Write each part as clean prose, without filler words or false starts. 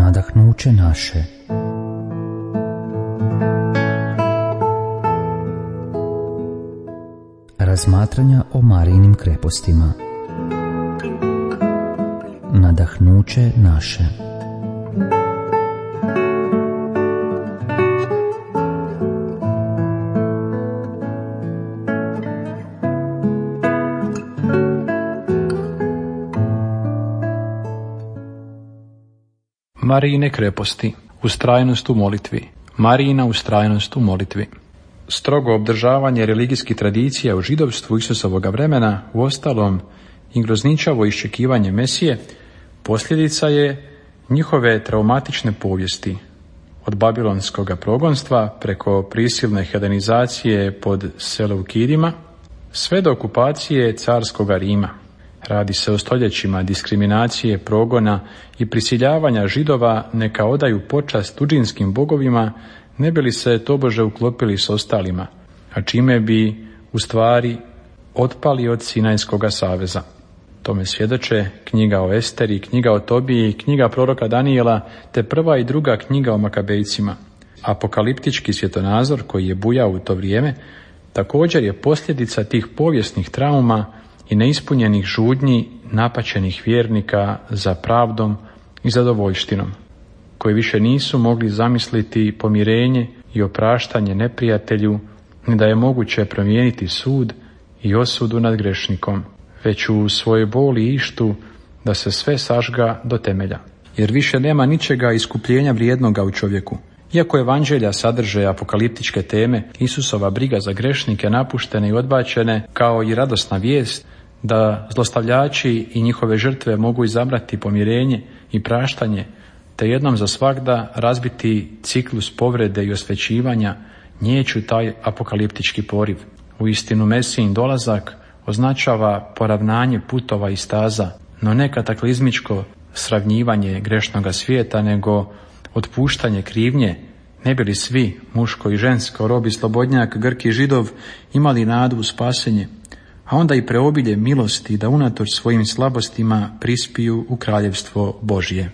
nadahnuće naše. Razmatranja o Marijinim krepostima. Nadahnuće naše. Marijine kreposti, ustrajnost u molitvi. Marijina ustrajnost u molitvi. Strogo obdržavanje religijskih tradicija u židovstvu Isusovoga vremena, uostalom i grozničavo iščekivanje Mesije, posljedica je njihove traumatične povijesti, od babilonskog progonstva preko prisilne hedonizacije pod Seleukidima, sve do okupacije carskoga Rima. Radi se o stoljećima diskriminacije, progona i prisiljavanja Židova neka odaju počast tuđinskim bogovima, ne bi li se tobože uklopili s ostalima, a čime bi u stvari otpali od Sinajskoga saveza. Tome svjedoče knjiga o Esteri, knjiga o Tobiji, knjiga proroka Danijela, te prva i druga knjiga o Makabejcima. Apokaliptički svjetonazor koji je bujao u to vrijeme također je posljedica tih povijesnih trauma i neispunjenih žudnji napaćenih vjernika za pravdom i zadovoljštinom, koji više nisu mogli zamisliti pomirenje i opraštanje neprijatelju, ni da je moguće promijeniti sud i osudu nad grešnikom, već u svojoj boli i ištu da se sve sažga do temelja. Jer više nema ničega iskupljenja vrijednoga u čovjeku. Iako evanđelja sadrže apokaliptičke teme, Isusova briga za grešnike napuštene i odbačene, kao i radosna vijest da zlostavljači i njihove žrtve mogu izabrati pomirenje i praštanje, te jednom za svagda razbiti ciklus povrede i osvećivanja, nijeću taj apokaliptički poriv. Uistinu Mesijin dolazak označava poravnanje putova i staza, no ne kataklizmičko sravnjivanje grešnoga svijeta, nego otpuštanje krivnje, ne bi li svi, muško i žensko, rob i slobodnjak, Grk i Židov, imali nadu u spasenje, a onda i preobilje milosti da unatoč svojim slabostima prispiju u kraljevstvo Božje.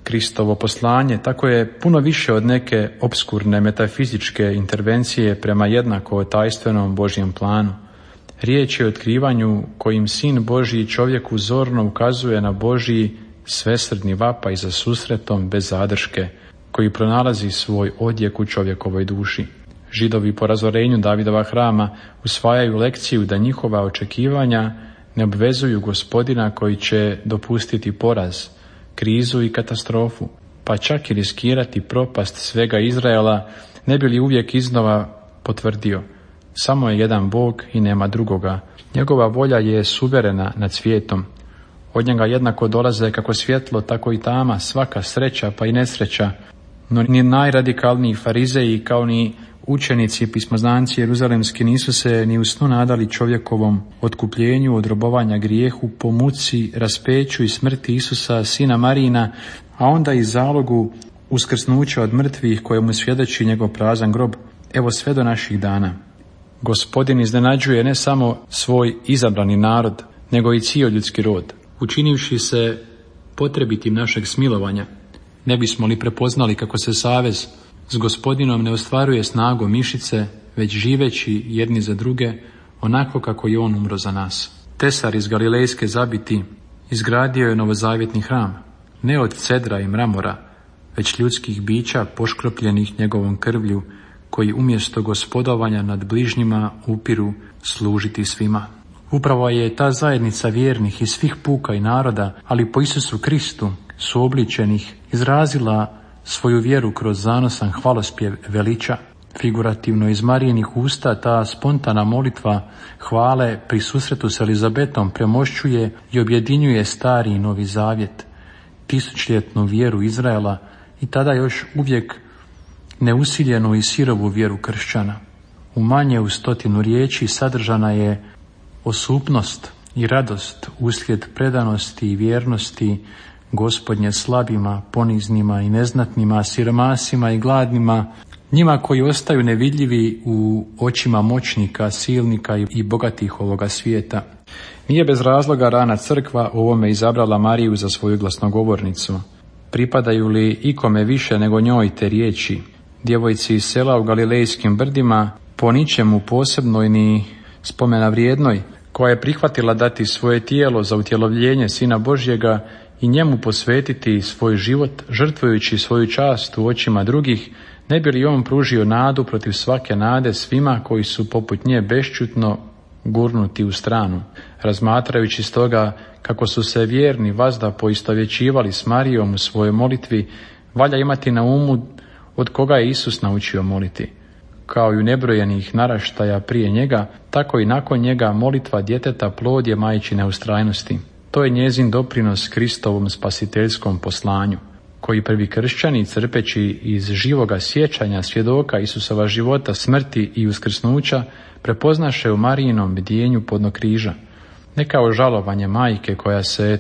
Kristovo poslanje tako je puno više od neke opskurne metafizičke intervencije prema jednako tajstvenom Božjem planu. Riječ je o otkrivanju kojim Sin Božji čovjeku zorno ukazuje na Božji svesrdni vapaj za susretom bez zadrške, koji pronalazi svoj odjek u čovjekovoj duši. Židovi po razorenju Davidova hrama usvajaju lekciju da njihova očekivanja ne obvezuju Gospodina koji će dopustiti poraz, krizu i katastrofu, pa čak i riskirati propast svega Izraela, ne bi li uvijek iznova potvrdio: samo je jedan Bog i nema drugoga. Njegova volja je suverena nad svijetom. Od njega jednako dolaze kako svjetlo, tako i tama, svaka sreća pa i nesreća. No ni najradikalniji farizeji kao ni učenici pismoznanci jeruzalemski nisu se ni u snu nadali čovjekovom otkupljenju od robovanja grijehu po muci, raspeću i smrti Isusa, sina Marijina, a onda i zalogu uskrsnuća od mrtvih kojemu svjedoči njegov prazan grob, evo sve do naših dana. Gospodin iznenađuje ne samo svoj izabrani narod, nego i cijeli ljudski rod, učinivši se potrebitim našeg smilovanja. Ne bismo li prepoznali kako se savez s Gospodinom ne ostvaruje snagom mišice, već živeći jedni za druge, onako kako je on umro za nas. Tesar iz Galilejske zabiti izgradio je novozavjetni hram, ne od cedra i mramora, već ljudskih bića poškropljenih njegovom krvlju, koji umjesto gospodovanja nad bližnjima upiru služiti svima. Upravo je ta zajednica vjernih iz svih puka i naroda, ali po Isusu Kristu suobličenih, izrazila svoju vjeru kroz zanosan hvalospjev veliča. Figurativno iz Marijinih usta ta spontana molitva hvale pri susretu s Elizabetom premošćuje i objedinjuje stari i novi zavjet, tisućljetnu vjeru Izraela i tada još uvijek neusiljenu i sirovu vjeru kršćana. U manje u 100 riječi sadržana je osupnost i radost uslijed predanosti i vjernosti Gospodnje slabima, poniznima i neznatnima, siromasima i gladnima, njima koji ostaju nevidljivi u očima moćnika, silnika i bogatih ovoga svijeta. Nije bez razloga rana crkva u ovome izabrala Mariju za svoju glasnogovornicu. pripadaju li ikome više nego njoj te riječi, djevojci iz sela u Galilejskim brdima, po ničemu posebnoj ni spomena vrijednoj, koja je prihvatila dati svoje tijelo za utjelovljenje Sina Božjega i njemu posvetiti svoj život, žrtvujući svoju čast u očima drugih, ne bi li on pružio nadu protiv svake nade svima koji su poput nje bešćutno gurnuti u stranu. Razmatrajući stoga kako su se vjerni vazda poistovjećivali s Marijom u svojoj molitvi, valja imati na umu od koga je Isus naučio moliti. Kao i u nebrojenih naraštaja prije njega, tako i nakon njega molitva djeteta plod je majčine ustrajnosti. To je njezin doprinos Kristovom spasiteljskom poslanju, koji prvi kršćani, crpeći iz živoga sjećanja svjedoka Isusova života, smrti i uskrsnuća, prepoznaše u Marijinom bdjenju podno križa. Ne kao žalovanje majke koja se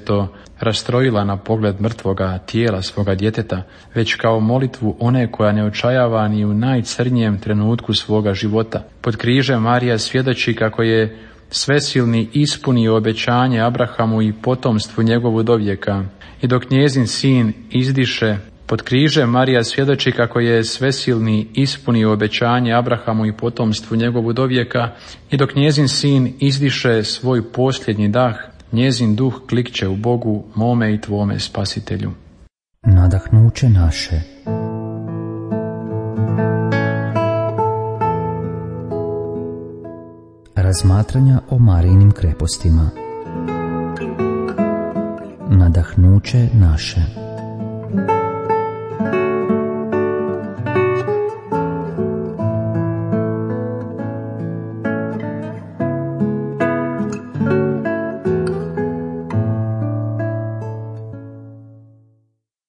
rastrojila na pogled mrtvoga tijela svoga djeteta, već kao molitvu one koja ne očajava ni u najcrnjijem trenutku svoga života. Pod križem Marija svjedoči kako je Svesilni ispunio obećanje Abrahamu i potomstvu njegovu dovijeka. I dok njezin sin izdiše, pod križem Marija svjedoči kako je Svesilni ispunio obećanje Abrahamu i potomstvu njegovu dovijeka. I dok njezin sin izdiše svoj posljednji dah, njezin duh klikće u Bogu, mome i tvome Spasitelju. Nadahnuće naše. Razmatranja o Marijinim krepostima. Nadahnuće naše.